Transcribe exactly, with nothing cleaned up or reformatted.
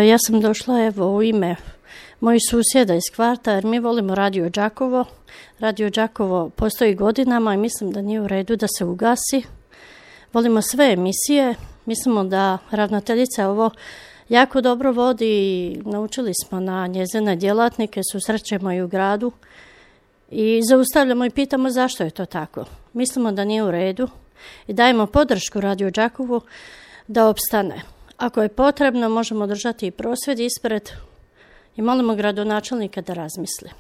Ja sam došla evo u ime mojih susjeda iz kvarta jer mi volimo Radio Đakovo. Radio Đakovo postoji godinama i mislim da nije u redu da se ugasi. Volimo sve emisije. Mislimo da ravnateljica ovo jako dobro vodi i naučili smo na njezine djelatnike, susrećemo i u gradu i zaustavljamo i pitamo zašto je to tako. Mislimo da nije u redu i dajemo podršku Radio Đakovu da opstane. Ako je potrebno, možemo držati i prosvjed ispred i molimo gradonačelnika da razmisli.